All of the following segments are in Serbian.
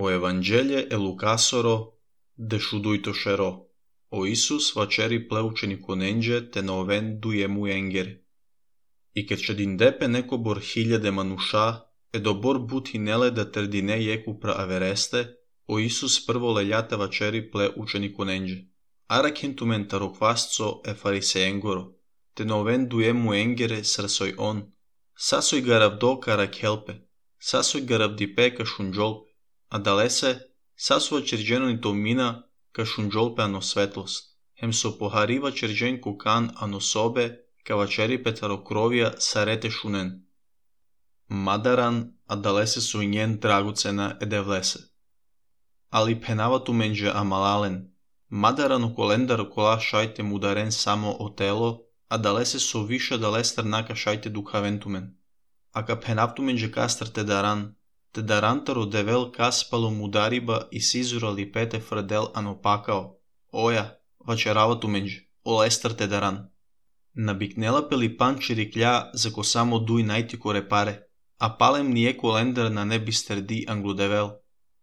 O Evangelje e Lukasoro de shuduitoshero. O Isus vacheri pleučeniku nenge te noven dujemu engeri. И ке че диндепе неко бор хиљаде мануша, е до бор бут хинеле да тердине јеку пра авересте, о Исус прво лељата вачери пле ученику ненџе. Ара кентумен тароквасцо е фарисеенгоро, те новен дуему енгере срсој он, сасој гаравдо кара келпе, сасој гаравдипе ка шунџолпе, а далесе сасува черџено то мина ка шунџолпе ано светлост, хем со похарива черџен кукан ано собе, ка вачери петарокровија сарете шунен. Мадаран, а далесе со нјен драгоцена е девлесе. Али пенавату менџе амалален, мадаран у колендар кола шајте мударен само о тело, а далесе со виша далестар нака шајте духавентумен. Ака пенавту менџе кастар те дарантаро девел каспало мудариба и сизурали пете фрдел ано пакао. Оја, вачеравату менџе, олестар те даран. Набикнела пели панчери кља за ко само дуј најтико репаре, а палем није колендар на не бистерди англудевел,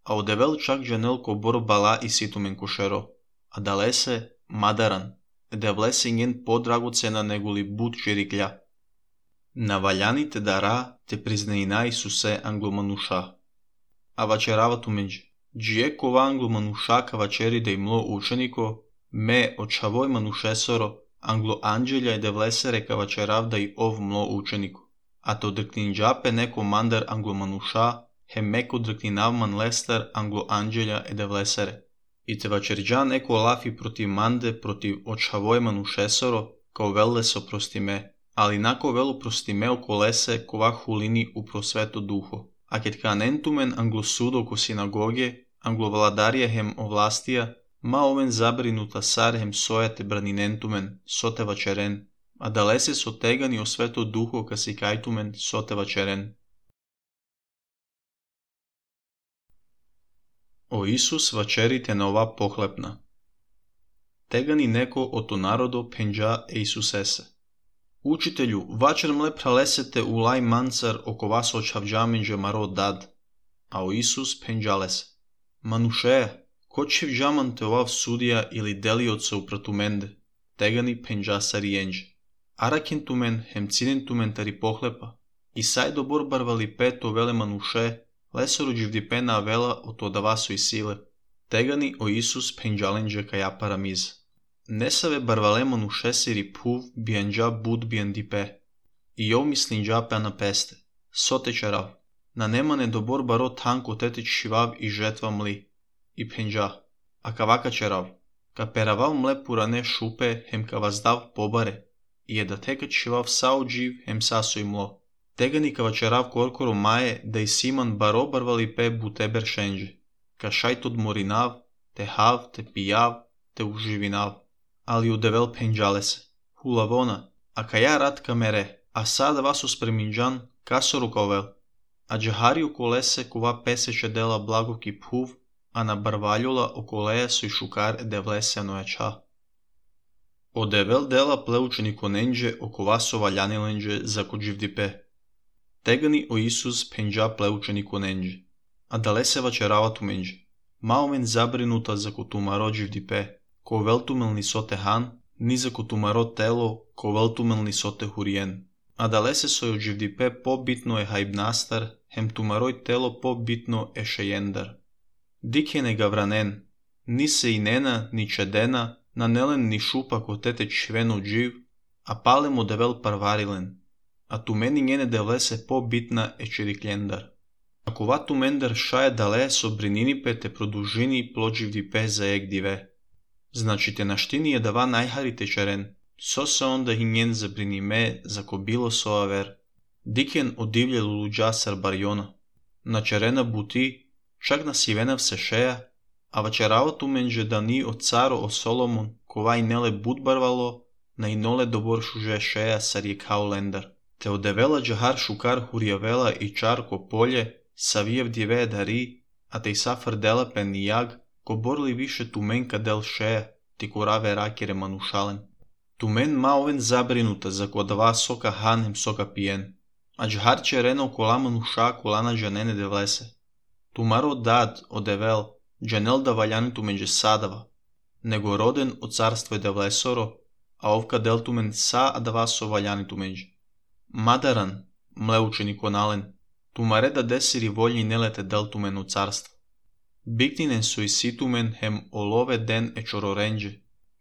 а одевел чак джанел ко бор бала и ситумен кошеро, а далесе мадаран, девлесе нјен подрагоцена неголи бут чери кља. Наваљаните дара те признаина Исусе англомануша. А вачеравату менџе, джие кова англомануша ка вачери да имло ученико, ме очавој манушесоро, англо анџеља е девлесере ка вачерав да и ов мло ученико. А то дркнинџапе неко мандар англомануша, хем меко дркнинавман лестар англо анџеља е девлесере. И те вачерџа неко лафи против манде против очавој манушесоро, као велле со простиме, али нако вело простимео колесе кова хулини у просвето духо. А кет канентумен англосудо ко синагоге, англовладарија хем овластија, ма овен забринута сар хем сојате бранинентумен, соте вачерен, а далесе со тегани о свето духо ка си кајтумен, соте вачерен. О Исус вачерите на ова похлепна. Тегани неко ото народо пенџа е Исусесе. Учителју, вачер мле пралесете у лај манцар око вас очавџаменџе маро дад. А о Исус пенџалесе. Манушеја, ко чевџаман те овав судија или делиоце упратуменде, тегани пенџа сариенџе. Ара кентумен хем цинентумен тари похлепа, и сај добор барвали пето веле мануше, лесоро дживдипена авела ото давасо и силе, тегани о Исус пенџаленџе каја парамиз. Не саве барвале мануше сири пув бијанџа буд бијандипе, и ов мислинџа на песте, соте чарав, на немане добор баро танко тете чивав и жетва мли, и пенџа, а кавака черав, ка перавал мле пуране шупе хем ка ваздав побаре, и е да тека чивав сао джив хем сасо и мло. Тегани ка вачерав коркоро мае да и симан баро барвали пе бутебер шенџе, ка шајт одморинав, те хав, те пијав, те уживинав. Али удевел пенџалесе. Хулавона, а каја рад камере, а сада васо спреминџан, касоро кавел. А джахари околесе кова песече дела благоки пув, а на барваљола околеја со и шукар е девлесе анојача. Одевел дела плеученико ненџе око васо ваљаниленџе за коџивдипе. Тегани о Исус пенџа плеученико ненџе. А далесе вачеравату менџе. Маомен забринута за котумаро дживдипе, ко велтумелни соте хан, ни за котумаро тело, ко велтумелни соте хуриен. А далесе сој одживдипе побитно е хајбнастар, хем тумарој тело побитно е шејендар. Дике не гавранен, ни се и нена, ни чедена, на нелен ни шупа ко тете чвено джив, а палем одевел парварилен. А тумени нјене девлесе побитна е чирикљендар. А кова тумендар шаје дале со брининипе те продужини плодживдипе за ек диве. Значи те наштини е дава најхарите черен, со се онда и нjen забриниме за ко било со авер. Дикен одивље лулуџа сарбарјона. На черена бути, чак на сивенав се шеја, а вачеравату менџе да ни од царо о Соломон, ковај неле буд барвало, на и ноле добор шуже шеја сарјекао лендар. Те одевела джахар шукар хуријавела и чарко полје, савиев диве дари, а те и сафар дела пен јаг, ко борли више туменка дел шеја, ти кораве ракере манушален. Тумен ма овен забринута за кодава сока хан хем сока пиен, а джахар черена окола мануша колана джанене девлесе. Тумаро дад од Евел, джанел да валјането меѓу садава, него роден од царство девлесоро, а овка делтумен са адавасо валјането меѓу. Мадаран, мле учениконален, тумаре да десири волји нелете делтумен од царство. Биктинен со иситумен хем олове ден чороренџе,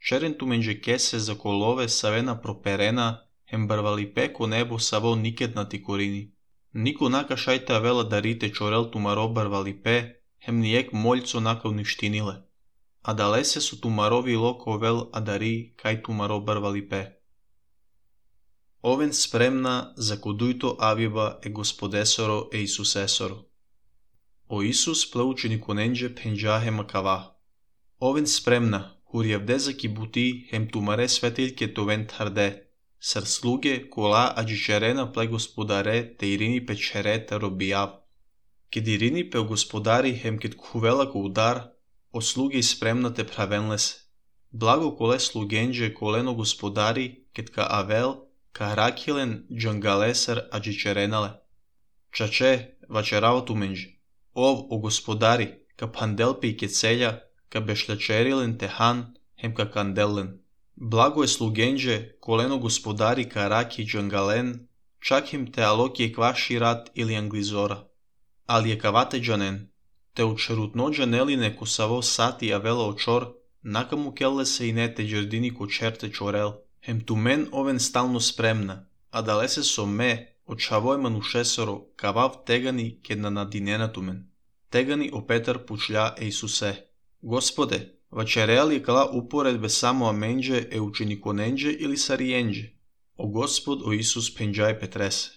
черен туменџе кесе за колове савена проперена, хем барвали пеко небо саво никетнати корини. Нико нака шајта вела дарите чорел тумаро барвали пе, хем ниек мољцо нака уништиниле. А далесе со тумарови локо вел адари кај тумаро барвали пе. Овен спремна за кодујто авиба Господесоро Исусесоро. О Исус плеучени коненџе пенџа макава. Овен спремна, хуријавде за кибути хем тумаре светилке товен тарде, сар слуге кола аџичерена пле Господаре те ирини печерета робијав. Кед ирини пе Господари хем кед кувела ко удар, о слуги спремна те правенлесе. Благо коле слугенџе колено Господари кед ка Авел, ка Ракилен джангалесар аџичеренале. Чаче, вачерава туменџе. Ов, о Господари, ка панделпе и кецелја, ка бешлячерилен техан, хем ка канделен. Благо е слугенџе, колено Господари ка Раки джангален, чак хем те алоки е кваши рат или англизора. Али е кавате джанен, те очерутно джанелине ко саво сати авела очор, нака му келле се и не те джердини ко черте чорел, хем тумен овен стално спремна, а далесе со ме, очавој манушесоро, кавав тегани кед на надинена тумен. Тегани о Петар пучлја Исусе. Господе, вачереали кала упоредбе само аменџе е учениконенџе или сариенџе? О Господ, о Исус пенџај Петресе.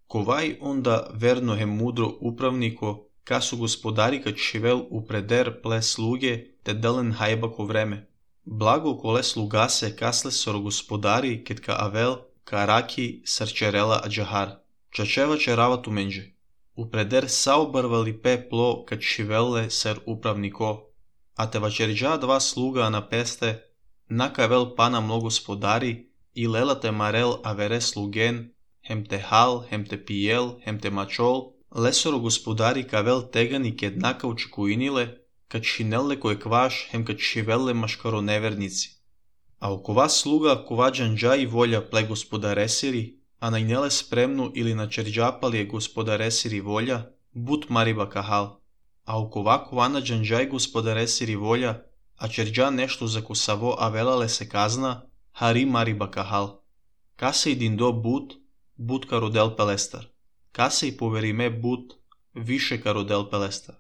Ковај онда верно е мудро управнико, касу Господари ка чивел упредер пле слуге, те делен хајбако време. Благо коле слугасе касле соро Господари кед ка Авел, ка Раки сарчерела аџахар. Чачева черава туменџе. Упредер сао барвали пе пло ка чивелле сер управнико. А те вачерџа два слуга на песте, нака Авел пана мло Господари, и лела те марел авере слуген, хем те хал, хем те пиел, хем те мачол, лесоро Господари ка Авел тегани кед нака очекуиниле, ка чинелле кој кваш, хем ка чивелле машкаро неверници. А окова слуга кова джанџа и волја пле Господаресири, а најнеле спремно или на черџапали е Господаресири волја, бут мариба кахал. А окова кована джанџај Господаресири волја, а черџа нешто за косаво авелале се казна, хари мариба кахал. Касе и диндо бут ка родел пелестар. Касе и повериме бут, више ка родел пелестар.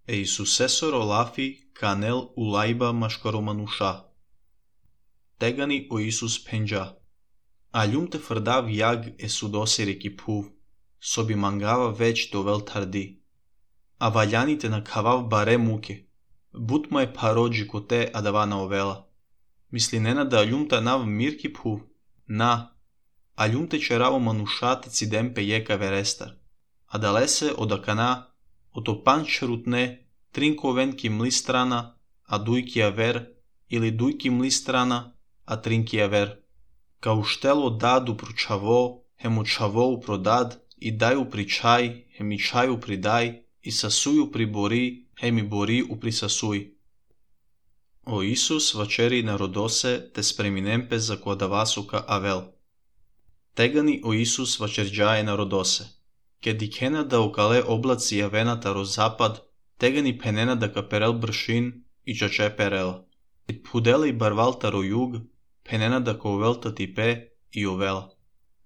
Исусесоро лафи канел улајба машкаро мануша. Тегани о Исус пенџа. А љумте фрдав јаг е судосири кипув, соби мангава веќ довел тарди. А валјаните на кавав баре муке, бут ма е пароџи коте адавана овела. Мисли нена да љумта нав мир кипув, на, а љумте чераво манушати цидемпе јека верестар. А далесе одакана, ото панчерутне, тринковен ки мли страна, а дујки авер, или дујки мли страна, а тринки авер. Као штело даду пручаво, хем очаво продад, и дај упричај, хем и чај упридај, и сасуј уприбори, хем и бори уприсасуј. О Исус вачери народосе те спреминемпе за кодавасука Авел. Тегани о Исус вачерџае народосе. Ке дикена да окале облаци јавената розапад, тегани пенена да каперел бршин и чаче перела. И пуделе и барвалта ро југ, пенена да ковелта типе и овела.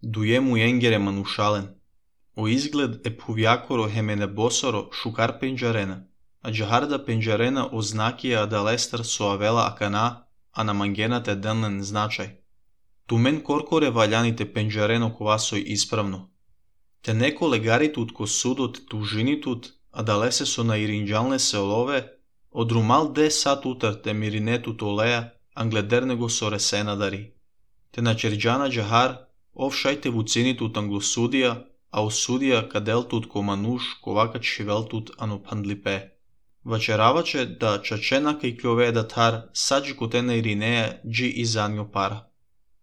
Дуе му енгере манушален. О изглед е пувјакоро хемене босоро шукар пенџарена, а џахарда пенџарена ознакија адалестар со авела акана, а на мангената денлен значај. Тумен коркоре валјаните пенџарено ковасој исправно. Те неко легарите утко судот тужинитут, а далесе со наиринџалне се олове, одрумал де сат утар те миринетут олеа, англедерне го со ресена дари. Те на черџана џахар, овшајте вуцинитут англосудија, а осудија каделтут ко мануш ковака чивелтут ано пандлипе. Вачераваче да чачена кај кјове да тар, саджи коте на иринеја джи изанјо пара.